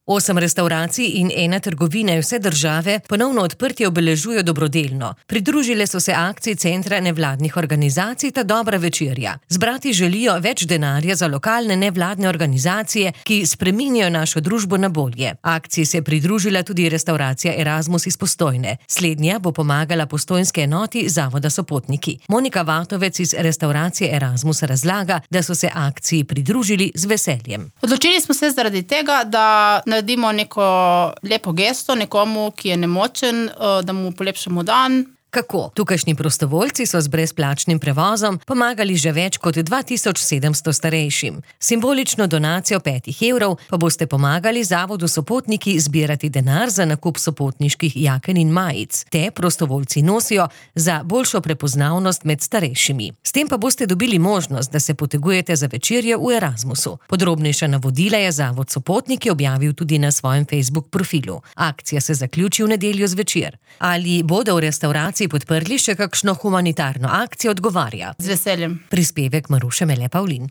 8 restavracij in 1 trgovina vse države ponovno odprtje obeležujejo dobrodelno. Pridružile so se akciji Centra nevladnih organizacij Ta dobra večerja. Zbrati želijo več denarja za lokalne nevladne organizacije, ki spreminjajo našo družbo na bolje. Akciji se je pridružila tudi restauracija Erasmus iz Postojne. Slednja bo pomagala postojnske enoti Zavoda Sopotniki. Monika Vatovec iz restauracije Erasmus razlaga, da so se akciji pridružili z veseljem. Odločili smo se zaradi tega, da naredimo neko lepo gesto nekomu, ki je nemočen, da mu polepšamo dan. Kako? Tukajšnji prostovoljci so z brezplačnim prevozom pomagali že več kot 2700 starejšim. Simbolično donacijo 5 evrov pa boste pomagali Zavodu Sopotniki zbirati denar za nakup sopotniških jaken in majic. Te prostovoljci nosijo za boljšo prepoznavnost med starejšimi. S tem pa boste dobili možnost, da se potegujete za večerjo v Erasmusu. Podrobnejša navodila je Zavod Sopotniki objavil tudi na svojem Facebook profilu. Akcija se zaključi v nedeljo zvečer. Ali bodo v restavraciji podprli še kakšno humanitarno akcijo, odgovarja. Z veseljem. Prispevek Maruše Mele Pavlin.